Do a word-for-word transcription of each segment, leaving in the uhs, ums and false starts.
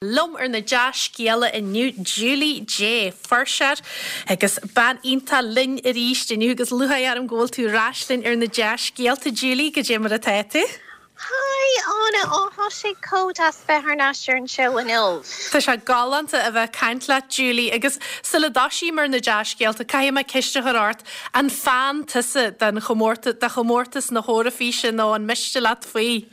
Liom ar na dea-scéalta inniu Julie Jay fuirseoir agus bean iontach linn arís inniu agus lúcháir orm go bhfuil tú ar ais linn ar na dea-scéalta Julie goidé mar atá tú. Hi Áine ó tá sé chomh deas bheith ar ais ar an seó inniu. Tá sé galánta a bheith caint leat Julie agus sula dtosaím ar na dea-scéalta caithfidh mé ceist a chur ort an fan tusa den chomórtas de chomórtas na hEoraifíse nó an miste leat faoi.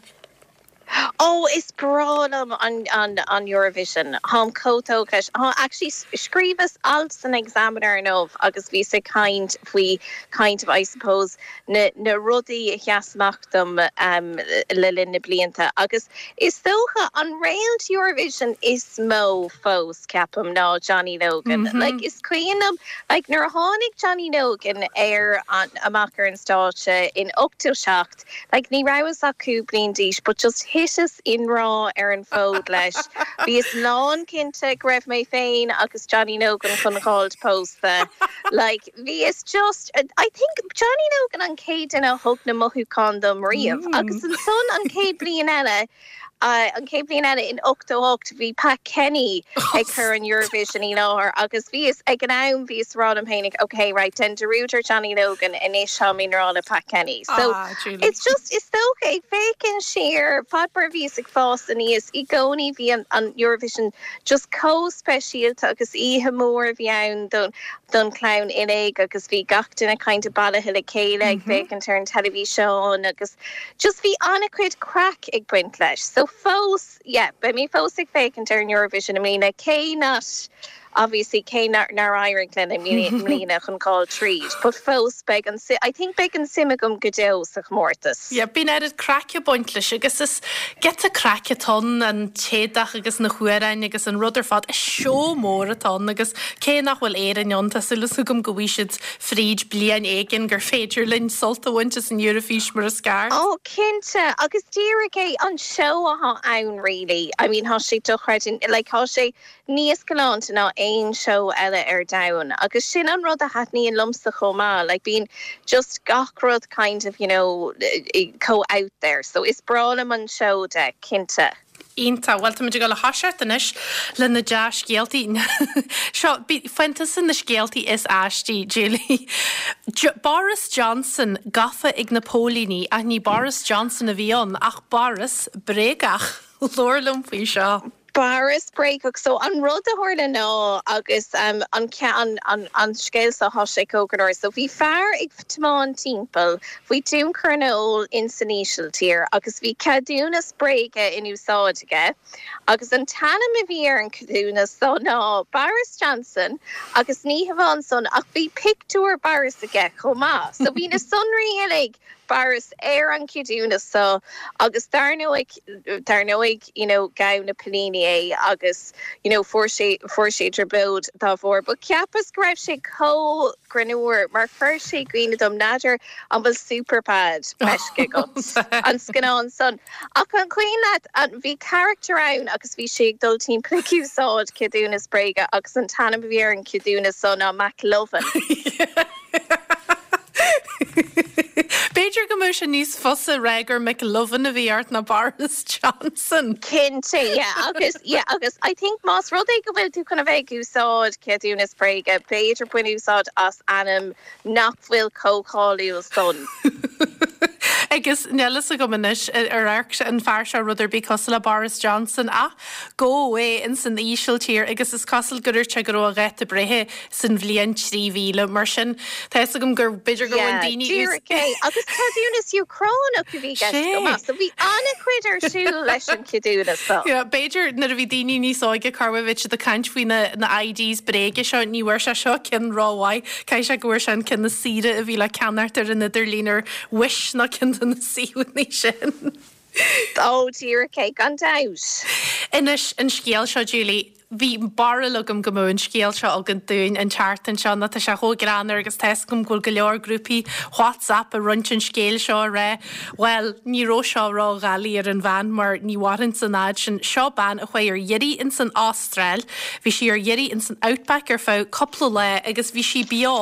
Ó is breá liom an, an, an Eurovision Táim chomh tógtha Tá actually scríobhas alt san Examiner inniu agus bhíos ag caint faoi kind of I suppose na, na rudaí a sheas amach dom um, le linn na blianta agus is dócha an réalt Eurovision is mó fós ceapaim ná Johnny Logan. Mm -hmm. Like is cuimhin like nuair a tháinig Johnny Logan ar an amach ar an stáitse in ochtó seacht, like ní rabhas ach cúig bliana d'aois, but just thiteas i ngrá ar an bhfód leis. Bhíos lánchinnte go raibh mé féin agus Johnny Logan chun fáil pósta. Like bhíos just I think Johnny Logan an chéad duine a thug na mothúcháin dom riamh mm. agus ansan an chéad bliain eile Uh, an chéad bhliain eile in ochtó hocht bhí Pat Kenny ag cur an Eurovision i láthair agus bhíos ag an am bhíos ag rá liom féinig okay right den dearúd ar Johnny Logan anois táim i ngrá le Pat Kenny. So ah, it's just is dócha ag féachaint siar fad mar bhíos ag fás aníos i gcónaí bhí an, an Eurovision just chomh speisialta agus oíche mhór a bhí ann don don chlann uilig agus bhí gach duine kind of bailithe le chéile ag mm -hmm. féachaint ar an teilifís agus just bhí an-chuid craic ag baint leis. So fós yeah, beidh mé fós ag féachaint ar an Eurovision i mbliana cé nach obviously cé nár éirigh linn i mbliana chun dul tríd, but fós beidh an I think beidh an suim agam go deo sa chomórtas. Ja, bíonn oiread craic ag baint leis agus is giota craic atá ann an t-éadach agus na hamhráin agus an rud ar fad is seó mór atá ann agus cé nach bhfuil Éirinn ann tá súil agam go bhfaighidh siad fríd bliain éigin gur féidir linn sult a bhaint as an Eoraifís mar is ceart. Ó cinnte agus díreach é an seó atá ann really. I mean tá sé dochreidte like tá sé níos galánta ná aon seó eile ar domhan agus sin an rud a thaitníonn liomsa chomh maith like bíonn just gach rud kind of you know chomh out there so is breá liom an seó de cinnte. Iontach well táimid ag toiseacht anois le na dea-scéaltaí Seo faigheann tusa na scéaltaí is aistí Julie. Boris Johnson gafa ag na póilíní ach ní Boris Johnson a bhí ann ach Boris bréagach Labhair liom faoi seo. Boris bréagach so an rud a tharla ná agus um, an an, an, an scéal seo tá sé cóganir, so bhí fear ag tiomáint timpeall faoi thionchar an óil in san Ísiltír agus bhí ceadúnas bréige in úsáid aige agus an t-ainm a bhí ar an ceadúnas so ná Boris Johnson agus ní hamháin san ach bhí pictiúr Boris aige chomh maith, so bhí na sonraí uilig Boris ar an ceadúnas so agus dar ndóigh dar ndóigh you know ghabh na póilíní é agus you know fuair sé fuair sé trioblóid dá bharr, but cheapas go raibh sé chomh greannmhar mar chuir sé i gcuimhne dom n'fheadar an bhfuil Superbad feicthe agat an scannán san. Ach an cuimhin leat an bhí character ann agus bhí sé ag dul timpeall ag úsáid ceadúnas bréige agus an t-ainm a bhí ar an ceadúnas san ná McLovin. B'fhéidir go mbeadh sé níos fusa rá gur McLovin a bhí ort ná Boris Johnson. Cinnte yeah, agus yeah, agus I think más rud é go bhfuil tú chun a bheith ag úsáid ceadúnas bréige, b'fhéidir bain úsáid as ainm nach bhfuil chomh cáiliúil san. Agus níl a fhios agam anois ar amharc an fear seo rud ar bith cosúil le Boris Johnson ach gabhadh é in san Ísiltír agus is cosúil gur sé go raibh a dháta breithe san bhliain trí mhíle mar sin Tá agam gur b'fhéidir go daoine é agus ceadúnas Úcránach a bhí go so bhí an-chuid ar siúl leis an ceadúnas so. B'fhéidir nuair a bhí daoine níos óige carhid de caint faoi na na IDs bréige seo ní bhfuair sé seo ceann rómhaith Caithfidh sé go bhfuair sé an ceann is saoire a bhí le ceannacht ar an idirlíon ar Wish ná ceann de na suíomhanna sin. Ó díreach é gan dabht. Inis an scéal seo Julie. Bhí barúil agam go mbeadh an scéal seo againn dúinn an tseachtain seo nó tá sé chomh greannmhar agus tá a fhios agam go bhfuil go leor grúpaí WhatsApp ag roinnt an scéil seo ag rá bhuel ní raibh seo ródhoiligh ar an bhean mar ní mhairfinn san fhad sin. Seo bean a chuaigh ar iarraidh ins an Astráil, bhí sí ar iarraidh ins an Outback ar feadh cúpla lá agus bhí sí beo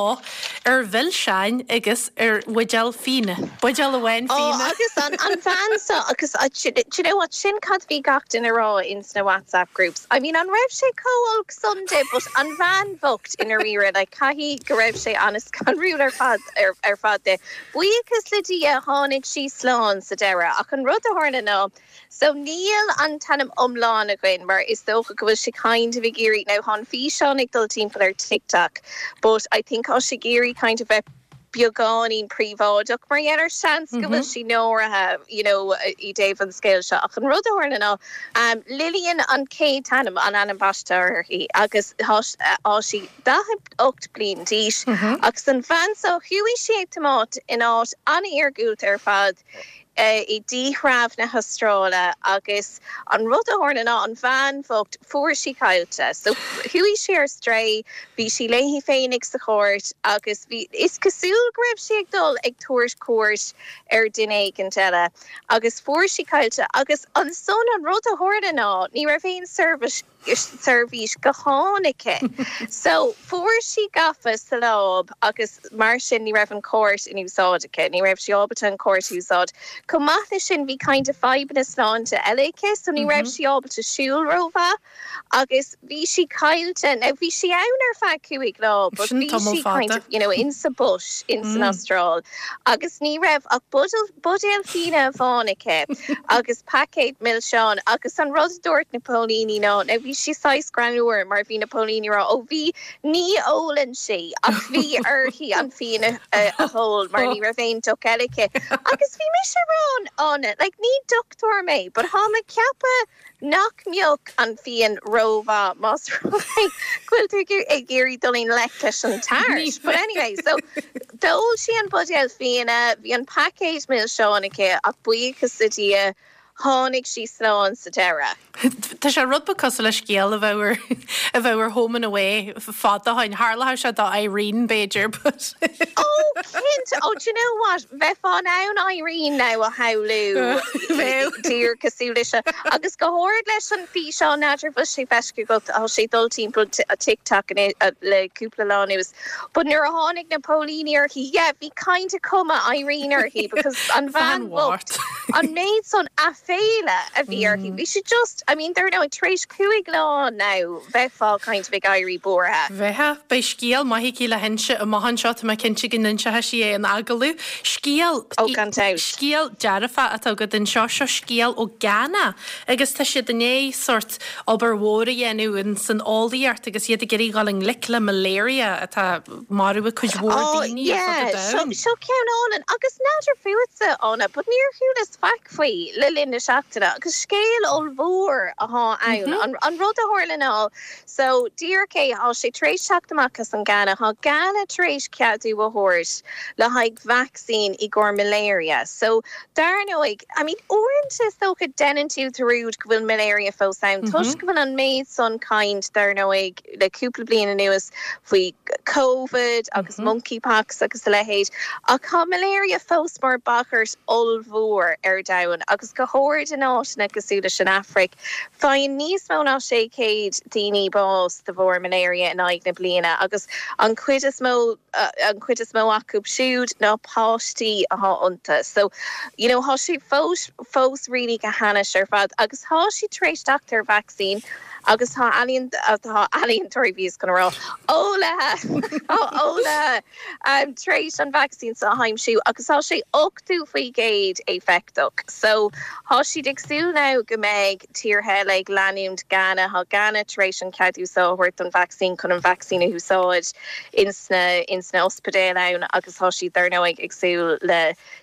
ar mhilseáin agus ar bhuidéal fíona. Buidéal amháin Oh, fíona. agus an, an bhean seo agus uh, do you know what sin cad bhí gach duine ag rá in sna WhatsApp groups. I mean an raibh sé chomh san de but an bhean bhocht i ndáiríre like caithfidh go raibh sé an-scanrúil ar fad ar, ar fad de. Buíochas le Dia tháinig sí slán sa deireadh ach an rud a tharla ná So níl an t-ainm iomlán againn mar is dócha go bhfuil sé kind of ag iarraidh now tá an físeán ag dul timpeall ar TikTok, but I think tá sé ag iarraidh kind of bheith beagáinín príobháideach mar dhéanar seans go bhfuil sí náirithe you know, i dtaobh an scéil seo ach an rud a tharla ná um, Lillian an chéad ainm an ainm baiste uirthi agus tá sí daichead ocht bliain d'aois agus an bhean seo chuaigh sí ag tiomáint in áit an-iargúlta ar fad uh, i dtírdhreach na hAstráile agus an rud a tharla ná an bhean bhocht fuair sí caillte. So chuaigh sí ar strae, bhí sí léi féinig sa charr agus bhí is cosúil go raibh sí ag dul ag tabhairt cuairt ar dhuine éigin eile agus fuair sí caillte agus ansan an rud a tharla ná ní raibh aon service seirbhís gutháin aici. So fuair sí gafa sa láib agus mar sin ní raibh an cárta in úsáid aici, ní raibh sí ábalta an cárta a úsáid. Chomh maith leis sin bhí kind of fadhbanna sláinte eile aici, so ní raibh sí ábalta siúl rómhaith agus bhí sí caillte now bhí sí ann ar feadh cúig lá, but Sin bhí tamall sí kind fada. of you know, in sa bush in san Astráil agus ní raibh ach buidéal fíona amháin aici agus paicéad milseán agus an rud a dúirt na póilíní ná now bhí sí saghas greannmhar mar bhí na póilíní rá ó bhí ní ólann sí ach bhí uirthi an fíon a a hól mar ní raibh aon deoch eile aici. Agus bhí mise rá an like ní dochtúir mé, but tá mé ag ceapadh nach mbeadh an fíon rómhaith más go bhfuil tú ag iarraidh dul i ngleic leis an tart. But anyway, so d'ól sí an buidéal fíona, bhí an paicéad milseán aici ach buíochas le Dia tháinig sí slán sa deireadh. Tá sé rud beag cosúil le scéal a bheadh ar a bheadh ar Home and Away fada ó shin tharlódh sé do Irene b'fhéidir but Oh cinnte oh do you know what bheifeá in ann Irene now a shamhlú Bheadh. díreach cosúil leis agus go háirithe leis an físeán n'fheadar bhfuil sé feicthe agat tá sé dul timpeall a TikTok le cúpla lá anuas. But nuair a tháinig na póilíní uirthi yeah, bhí kind of cuma Irene uirthi because an bhean bhocht an méid san aiféala a bhí uirthi. Bhí sí just I mean there now tar éis cúig lá now bheifeá kind of ag éirí buartha. Bheadh beidh scéal maith aici le hinse amach anseo tá mé cinnte go n-inseoidh sí é in agallamh. Scéal Ó, gan dabht. Scéal dearfach atá agat anseo seo scéal ó Ghana agus tá siad i ndiaidh sórt obair mhór a dhéanamh in san eolaíocht agus iad ag iarraidh dul i ngleic le malaria atá marú cuid mhór Oh daoine ar fud yeah, an seo domhain. seo ceann álainn agus n'fheadar fútsa Ána, but níor chualas faic faoi le linn na seachtaine agus scéal ollmhór atá ann an, an rud a tharla ná so díreach é tá sé tar éis teacht amach as an Ghana tá Ghana tar éis ceadú a thabhairt le haghaidh vaccine i gcomhair malaria. So dar ndóigh I mean uaireanta is dócha déanann tú dearúd go bhfuil malaria fós ann toisc go bhfuil an méid san caint dar ndóigh le cúpla bliain anuas faoi COVID agus monkeypox agus a leithéid ach tá malaria fós mar bagairt ollmhór ar domhan agus go háirithe in áiteanna cosúil leis an Afraic. Faigheann níos mó ná sé céad daoine bás de bharr malaria in aghaidh na bliana agus an chuid is mó uh, an chuid is mó acu siúd ná páistí atá iontu. So you know, tá sé fós fós really go hainnis ar fad agus tá sí tar éis teacht ar vaccine agus tá ealaíon tá ealaíontóirí bhí chun rá eolaithe eolaithe um, tar éis an vaccine seo a aimsiú agus tá sé ochtó faoin gcéad éifeachtach. So tá siad ag súil now go mbeidh tíortha eile ag leanúint Ghana tá Ghana tar éis an ceadú seo a thabhairt an vaccine chun an vaccine a úsáid insna insna ospidéil ann agus tá siad dar ndóigh ag súil le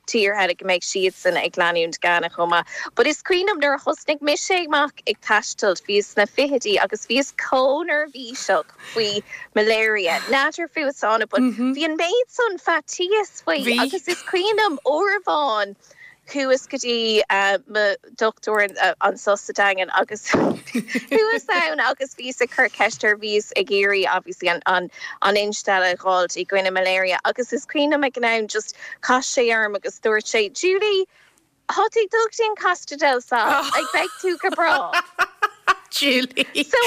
tíortha eile go mbeidh siadsan ag leanúint Ghana chomh maith. But is cuimhin liom nuair a thosnaigh mise amach ag taisteal bhí sna fichidí agus bhíos chomh neirbhíseach faoi malaria. N'fheadar fútsa but bhí an méid san faitíos faoi Bhí. agus is cuimhin liom uair amháin Chuas go dtí uh, mo dochtúir uh, anseo sa Daingean agus chuas ann agus bhíos ag cur ceist air bhíos ag iarraidh obviously an an an instealladh a fháilt i gcoinne malaria agus is cuimhin liom ag an am just chas sé orm agus dúirt sé Julie Tá tú ag dul go dtí an Costa del Sol ag beidh tú go breá. Julie. So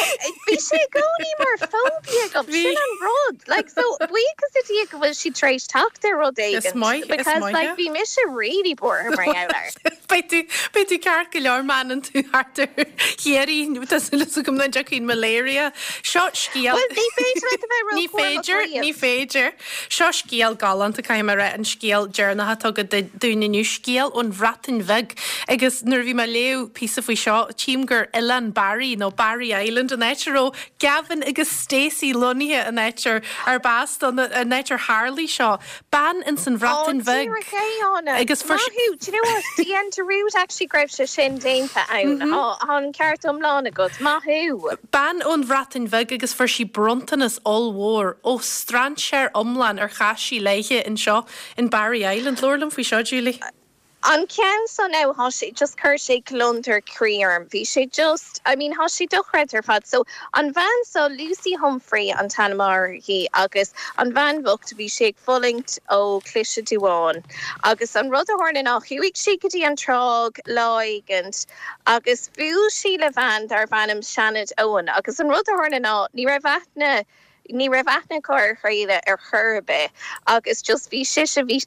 bhí sé i gcónaí mar phobia agam sin an rud like so buíochas le Dia go bhfuil sí tar éis teacht ar rud éigin because like bhí mise really buartha mar gheall air. Beidh tú beidh tú ceart go leor má fhanann tú thart ar Chiarraí tá gom na deacín malaria. Seo scéal Well, ní féidir leat a bheith Ní róchúramach féidir riamh. ní féidir. Seo scéal galánta caithfidh mé a rá an scéal deireanach atá agat dúinn inniu scéal ón Bhreatain Bheag agus nuair a bhí mé ag léamh píosa faoi seo tchím gur Oileán Barry nó Barry Island an áit a raibh Gavin agus Stacey lonnaithe an áit ar ar bas don an áit ar tharla seo bean in san Bhreatain Bheag. Agus fuair Maith thú, do you know what? Déan dearúd actually go raibh sé sin déanta ann. Tá an ceart iomlán agat maith thú. Bean ón Bhreatain Bheag agus fuair sí bronntanas ollmhór ó strainséir iomlán ar chas sí léithe anseo in Barry Island Labhair liom faoi seo Julie. An ceann so now thá sé just chuir sé gliondar croí orm bhí sé just I mean thá sé dochreidte ar fad so an bhean so Lucy Humphrey an t-ainm uirthi agus an bhean bhocht bhí sé ag fulaingt ó chliseadh duáin agus an rud a tharla ná chuaigh sí go dtí an tráigh lá éigint agus bhuail sí le bhean darbh ainm Sinéad Owen agus an rud a tharla ná ní raibh aithne ní raibh aithne acu ar a chéile ar chor ar bith agus just bhí sise bhí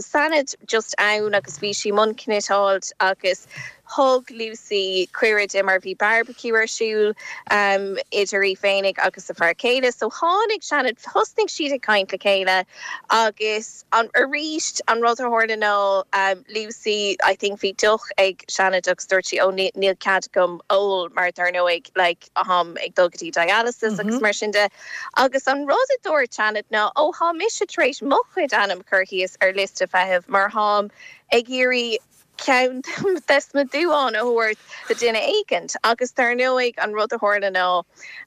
Sinéad just ann agus bhí sí i mbun cniotáilt agus thug Lucy cuireadh di mar bhí barbecue ar siúl um, idir í féinig agus a fear céile, so tháinig Sinéad thosnaigh siad ag caint le chéile agus an arís an rud a tharla ná um, Lucy I think bhí deoch ag Sinéad agus dúirt sí ó níl cead agam ól mar dar ndóigh like, táim ag dul go dtí dialysis mm -hmm. agus mar sin de agus an rud a dúirt Sinéad ná ó tá mise tar éis mo chuid ainm a chur síos ar liosta feithimh mar táim ag iarraidh ceann des na duáin a thabhairt do dhuine éigint agus dar ndóigh an rud a tharla ná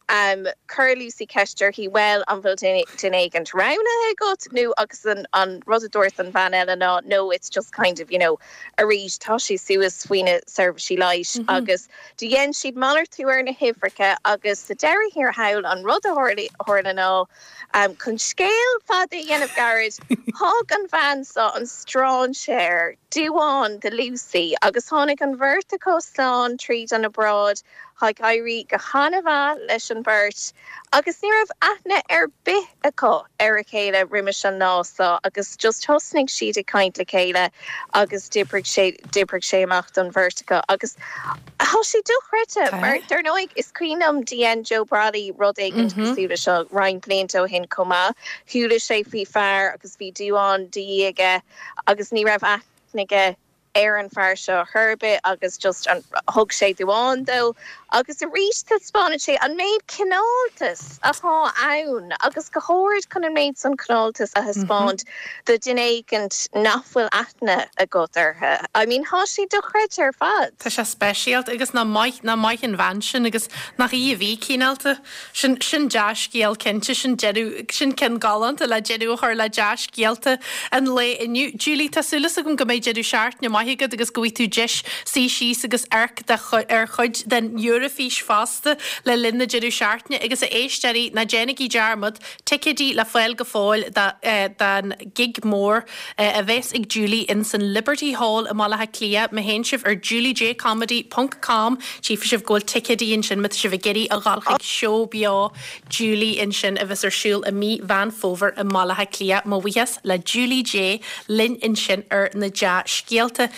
um, chuir Lucy ceist uirthi well an bhfuil duine éigint roghnaithe agat nó agus an, an rud a dúirt an bhean eile ná no it's just kind of you know arís tá sí suas faoi na seirbhísí leighis mm -hmm. agus do dhein siad malartú ar na huimhreacha agus sa deireadh thiar thall an rud a tharla ná um, chun scéal fada a dhéanamh gairid thug an bhean so an strainséir duán do Lucy agus tháinig an bheirt acu slán tríd an obráid ag éirí go han-mhaith leis an bheirt agus ní raibh aithne ar bith acu ar a chéile roimh an lá so agus just thosnaigh siad ag caint le chéile agus d'oibrigh sé d'oibrigh sé amach don bheirt acu agus Thá sé dochreidte mar dar ndóigh is cuimhin liom dhein Joe Brolly rud éigin cosúil leis seo roinnt blianta ó shin chomh maith chuala sé faoi fear agus bhí duán de dhíth aige agus ní raibh aithne aige ar an fear seo ar bith agus just an thug sé duán dó agus arís taispeánann sé an méid cineáltas atá ann agus go háirithe chun an méid san cineáltas a thaispeáint do dhuine éigint nach bhfuil aithne agat orthu. I mean thá sé dochreidte ar fad. Tá sé speisialta agus nach maith nach maith an bhean sin agus nach í a bhí cineálta sin sin dea-scéal cinnte sin deireadh sin ceann galánta le deireadh a chur le dea-scéalta an lae inniu. Julie tá súil agam go mbeidh deireadh seachtaine maith agat agus go bhfaighidh tú deis suí síos agus amharc ar chuid den Eoraifís fosta le linn na deireadh seachtaine agus a éisteoirí ná déanaigí dearmad ticéidí le fáil go fóill don gig mór a bheas ag Julie in san Liberty Hall i mBaile Átha Cliath má théann sibh ar juliejcomedy.com tchífidh sibh go bhfuil ticéidí ansin má tá sibh ag iarraidh a dhul chuig seó beo Julie ansin a bheas ar siúl i mí Mheán Fómhair i mBaile Átha Cliath mo bhuíochas le Julie J linn ansin ar na dea-scéalta.